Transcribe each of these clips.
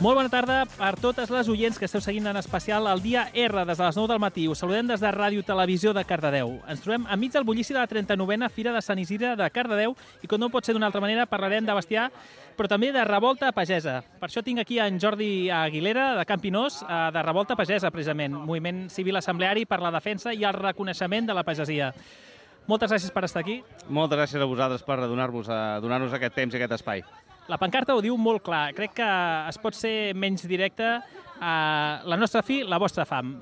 Molt bona tarda per totes les oients que esteu seguint en especial el dia R des de les 9 del matí. Us saludem des de Ràdio Televisió de Cardedeu. Ens trobem enmig del bullici de la 39a Fira de Sant Isidre de Cardedeu i, com no pot ser d'una altra manera, parlarem de bestiar, però també de revolta pagesa. Per això tinc aquí en Jordi Aguilera, de Campinós, de Revolta Pagesa, precisament, moviment civil assembleari per la defensa i el reconeixement de la pagesia. Moltes gràcies per estar aquí. Moltes gràcies a vosaltres per donar-nos aquest temps i aquest espai. La pancarta ho diu molt clar. Crec que es pot ser menys directe. La nostra fi, la vostra fam.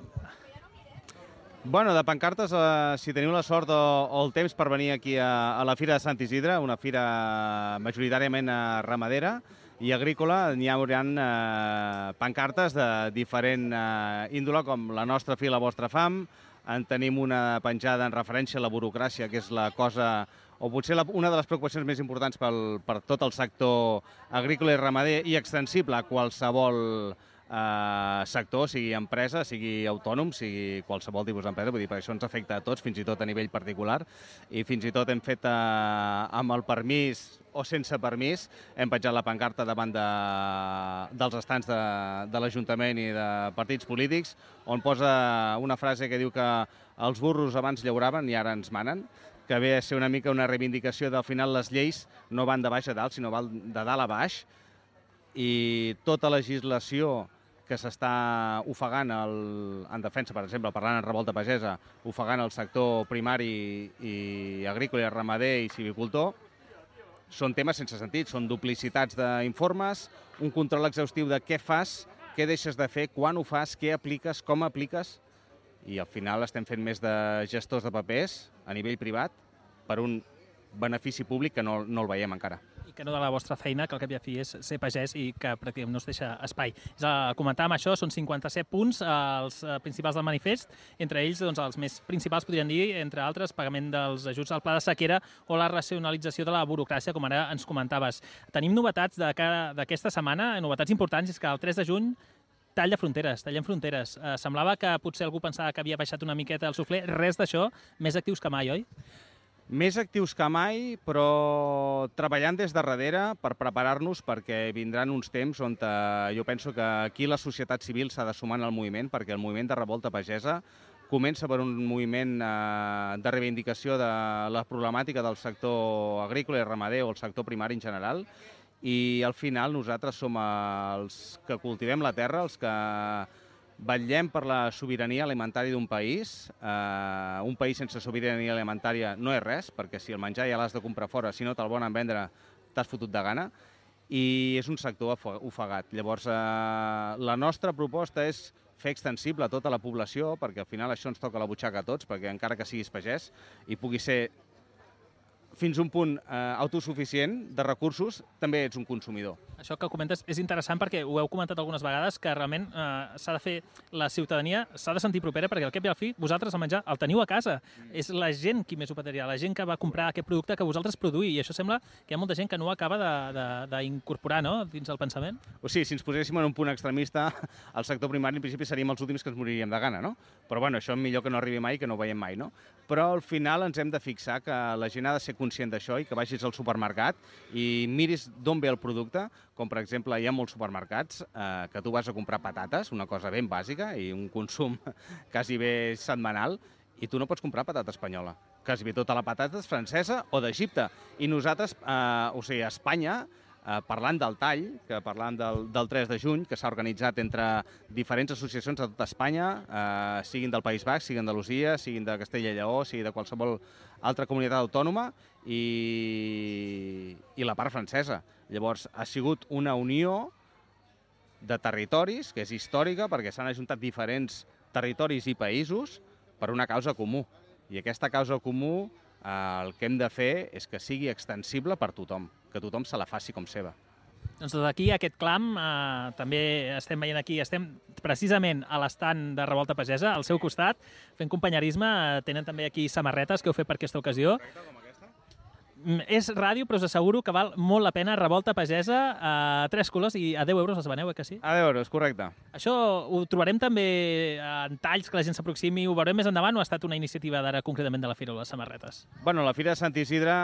Bueno, de pancartes, si teniu la sort o el temps per venir aquí a la Fira de Sant Isidre, una fira majoritàriament ramadera i agrícola, n'hi hauran pancartes de diferent índole, com la nostra fi, la vostra fam. En tenim una penjada en referència a la burocràcia, que és la cosa, o potser una de les preocupacions més importants per tot el sector agrícola i ramader i extensible a qualsevol sector, sigui empresa, sigui autònom, sigui qualsevol tipus d'empresa. Vull dir, per això ens afecta a tots, fins i tot a nivell particular, i fins i tot hem fet amb el permís o sense permís, hem penjat la pancarta davant dels estants de l'Ajuntament i de partits polítics, on posa una frase que diu que els burros abans llauraven i ara ens manen, que ve a ser una mica una reivindicació del final les lleis no van de baix a dalt, sinó van de dalt a baix, i tota legislació que s'està ofegant en defensa, per exemple, parlant en revolta pagesa, ofegant el sector primari i agrícola i ramader i civicultor, són temes sense sentit, són duplicitats d'informes, un control exhaustiu de què fas, què deixes de fer, quan ho fas, què apliques, com apliques, i al final estem fent més de gestors de papers a nivell privat per un benefici públic que no el veiem encara. I que no de la vostra feina, que al cap i a fi és ser pagès i que pràcticament no es deixa espai. Comentàvem això, són 57 punts, els principals del manifest, entre ells doncs, els més principals, podríem dir, entre altres, pagament dels ajuts al pla de sequera o la racionalització de la burocràcia, com ara ens comentaves. Tenim novetats d'aquesta setmana, novetats importants, és que el 3 de juny tallem fronteres. Semblava que potser algú pensava que havia baixat una miqueta el suflé, res d'això, més actius que mai, oi? Més actius que mai, però treballant des de darrere per preparar-nos, perquè vindran uns temps on jo penso que aquí la societat civil s'ha de sumar en el moviment, perquè el moviment de revolta pagesa comença per un moviment de reivindicació de la problemàtica del sector agrícola i ramader o el sector primari en general, i al final nosaltres som els que cultivem la terra, els que vetllem per la sobirania alimentària d'un país. Un país sense sobirania alimentària no és res, perquè si el menjar ja l'has de comprar fora, si no te'l volen vendre, t'has fotut de gana, i és un sector ofegat. Llavors, la nostra proposta és fer extensible a tota la població, perquè al final això ens toca la butxaca a tots, perquè encara que siguis pagès i pugui ser fins a un punt autosuficient de recursos, també ets un consumidor. Això que comentes és interessant perquè ho heu comentat algunes vegades, que realment s'ha de fer, la ciutadania s'ha de sentir propera, perquè al cap i al fi vosaltres el menjar el teniu a casa. És la gent qui més ho pataria, la gent que va comprar aquest producte que vosaltres produïu, i això sembla que hi ha molta gent que no ho acaba d'incorporar, no?, dins el pensament. O sigui, si ens poséssim en un punt extremista, el sector primari en principi seríem els últims que ens moriríem de gana, no? Però bueno, això millor que no arribi mai, que no ho veiem mai, no? Però al final ens hem de fixar que la gent ha de ser conscient d'això i que vagis al supermercat i miris d'on ve el producte, com per exemple hi ha molts supermercats que tu vas a comprar patates, una cosa ben bàsica i un consum quasi bé setmanal, i tu no pots comprar patata espanyola. Quasi bé tota la patata és francesa o d'Egipte. I nosaltres, o sigui, a Espanya, parlant del tall, que parlant del 3 de juny, que s'ha organitzat entre diferents associacions de tota Espanya, siguin del País Basc, siguin d'Andalusia, siguin de Castella i Lleó, sigui de qualsevol altra comunitat autònoma, i la part francesa. Llavors, ha sigut una unió de territoris, que és històrica, perquè s'han ajuntat diferents territoris i països per una causa comú. I aquesta causa comú, el que hem de fer és que sigui extensible per tothom, que tothom se la faci com seva. Doncs des d'aquí aquest clam, també estem veient aquí, estem precisament a l'estand de Revolta Pagesa, al seu costat, fent companyerisme, tenen també aquí samarretes que heu fet per aquesta ocasió. És ràdio, però us asseguro que val molt la pena. Revolta Pagesa, a 3 colors i a 10 euros les veneu, que sí? A 10 euros, correcte. Això ho trobarem també en talls, que la gent s'aproximi, ho veurem més endavant, o ha estat una iniciativa d'ara concretament de la Fira o les samarretes? Bueno, la Fira de Sant Isidre,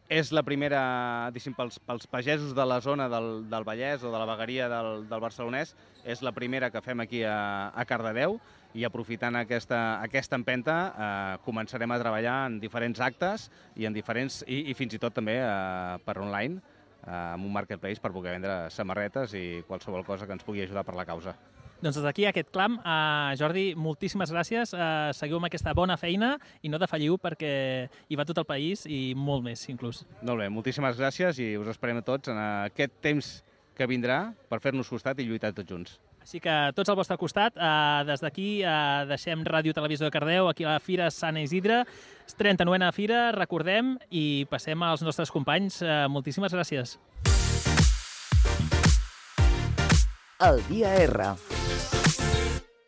És la primera, pels pagesos de la zona del Vallès o de la vegueria del Barcelonès, és la primera que fem aquí a Cardedeu, i aprofitant aquesta empenta començarem a treballar en diferents actes i fins i tot també per online, amb un marketplace per poder vendre samarretes i qualsevol cosa que ens pugui ajudar per la causa. Doncs des d'aquí aquest clam. Jordi, moltíssimes gràcies. Seguiu amb aquesta bona feina i no defalliu perquè hi va tot el país i molt més, inclús. Molt bé, moltíssimes gràcies i us esperem a tots en aquest temps que vindrà per fer-nos costat i lluitar tots junts. Així que tots al vostre costat. Des d'aquí deixem Ràdio Televisió de Cardedeu, aquí a la Fira Sant Isidre. 39a Fira, recordem, i passem als nostres companys. Moltíssimes gràcies. El dia R.